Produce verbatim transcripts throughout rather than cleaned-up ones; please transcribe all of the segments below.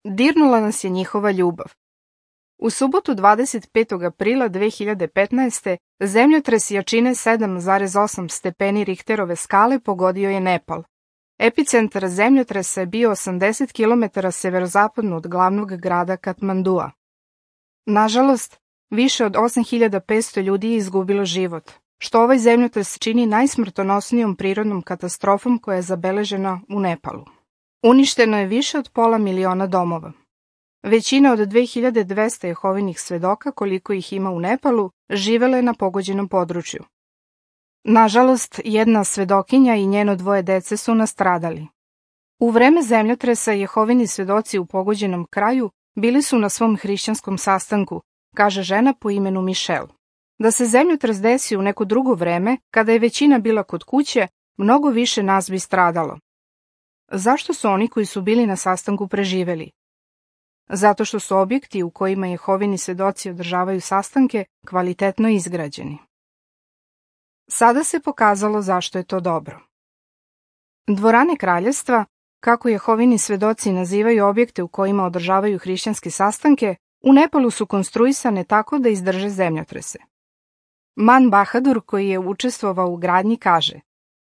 Dirnula nas je njihova ljubav. U subotu dvadeset petog aprila dve hiljade petnaeste. zemljotres jačine sedam zarez osam stepeni Richterove skale pogodio je Nepal. Epicentar zemljotresa je bio osamdeset kilometara severozapadno od glavnog grada Katmandua. Nažalost, više od osam hiljada petsto ljudi je izgubilo život, što ovaj zemljotres čini najsmrtonosnijom prirodnom katastrofom koja je zabeležena u Nepalu. Uništeno je više od pola miliona domova. Većina od dve hiljade dvesta Jehovinih svedoka, koliko ih ima u Nepalu, živele je na pogođenom području. Nažalost, jedna svedokinja i njeno dvoje dece su nastradali. U vreme zemljotresa Jehovini svedoci u pogođenom kraju bili su na svom hrišćanskom sastanku, kaže žena po imenu Michelle. Da se zemljotres desi u neko drugo vreme, kada je većina bila kod kuće, mnogo više nas bi stradalo. Zašto su oni koji su bili na sastanku preživeli? Zato što su objekti u kojima Jehovini svedoci održavaju sastanke kvalitetno izgrađeni. Sada se pokazalo zašto je to dobro. Dvorane kraljevstva, kako Jehovini svedoci nazivaju objekte u kojima održavaju hrišćanske sastanke, u Nepalu su konstruisane tako da izdrže zemljotrese. Man Bahadur, koji je učestvovao u gradnji, kaže: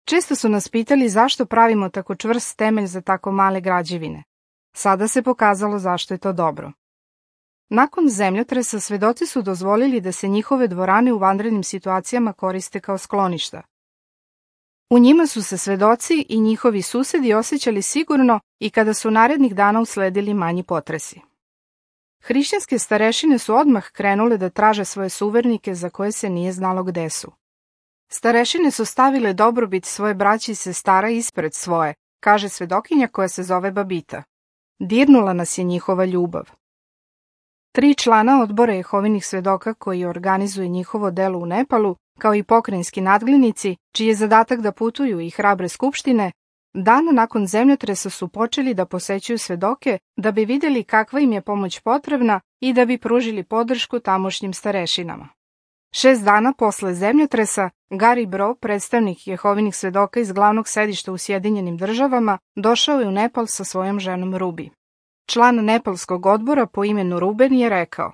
često su nas pitali zašto pravimo tako čvrst temelj za tako male građevine. Sada se pokazalo zašto je to dobro. Nakon zemljotresa svedoci su dozvolili da se njihove dvorane u vanrednim situacijama koriste kao skloništa. U njima su se svedoci i njihovi susedi osjećali sigurno i kada su narednih dana usledili manji potresi. Hrišćanske starešine su odmah krenule da traže svoje suvernike za koje se nije znalo gde su. Starešine su stavile dobrobit svoje braće i sestara ispred svoje, kaže svedokinja koja se zove Babita. Dirnula nas je njihova ljubav. Tri člana odbora Jehovinih svedoka koji organizuje njihovo delo u Nepalu, kao i pokrajinski nadglinici, čiji je zadatak da putuju i hrabre skupštine, dan nakon zemljotresa su počeli da posećuju svedoke da bi vidjeli kakva im je pomoć potrebna i da bi pružili podršku tamošnjim starešinama. Šest dana posle zemljotresa, Gary Bro, predstavnik Jehovinih svedoka iz glavnog sedišta u Sjedinjenim državama, došao je u Nepal sa svojom ženom Ruby. Član nepalskog odbora po imenu Ruben je rekao: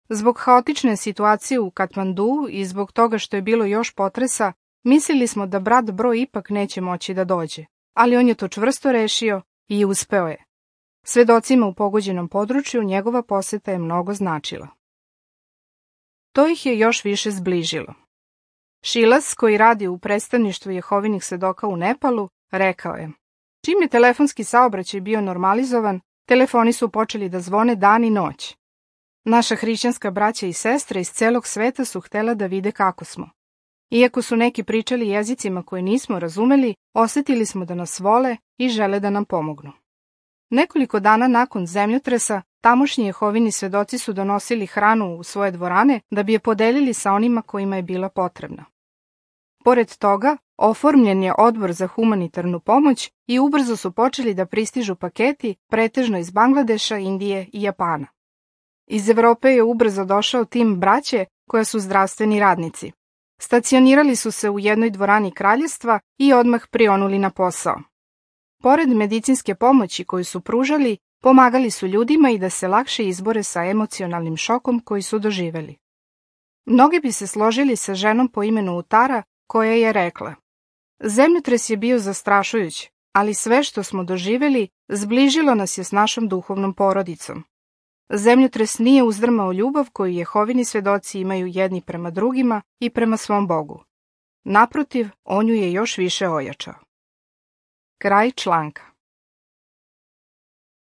zbog haotične situacije u Katmanduu i zbog toga što je bilo još potresa, mislili smo da brat Bro ipak neće moći da dođe, ali on je to čvrsto rešio i uspeo je. Svedocima u pogođenom području njegova poseta je mnogo značila. To ih je još više zbližilo. Šilas, koji radi u predstavništvu Jehovinih svedoka u Nepalu, rekao je: čim je telefonski saobraćaj bio normalizovan, telefoni su počeli da zvone dan i noć. Naša hrišćanska braća i sestre iz celog sveta su htela da vide kako smo. Iako su neki pričali jezicima koje nismo razumeli, osetili smo da nas vole i žele da nam pomognu. Nekoliko dana nakon zemljotresa, tamošnji Jehovini svedoci su donosili hranu u svoje dvorane da bi je podelili sa onima kojima je bila potrebna. Pored toga, oformljen je odbor za humanitarnu pomoć i ubrzo su počeli da pristižu paketi, pretežno iz Bangladeša, Indije i Japana. Iz Evrope je ubrzo došao tim braće koja su zdravstveni radnici. Stacionirali su se u jednoj dvorani kraljevstva i odmah prionuli na posao. Pored medicinske pomoći koju su pružali, pomagali su ljudima i da se lakše izbore sa emocionalnim šokom koji su doživeli. Mnogi bi se složili sa ženom po imenu Utara, koja je rekla: zemljotres je bio zastrašujuć, ali sve što smo doživeli zbližilo nas je s našom duhovnom porodicom. Zemljotres nije uzdrmao ljubav koju Jehovini svedoci imaju jedni prema drugima i prema svom Bogu. Naprotiv, on ju je još više ojačao. Kraj članka.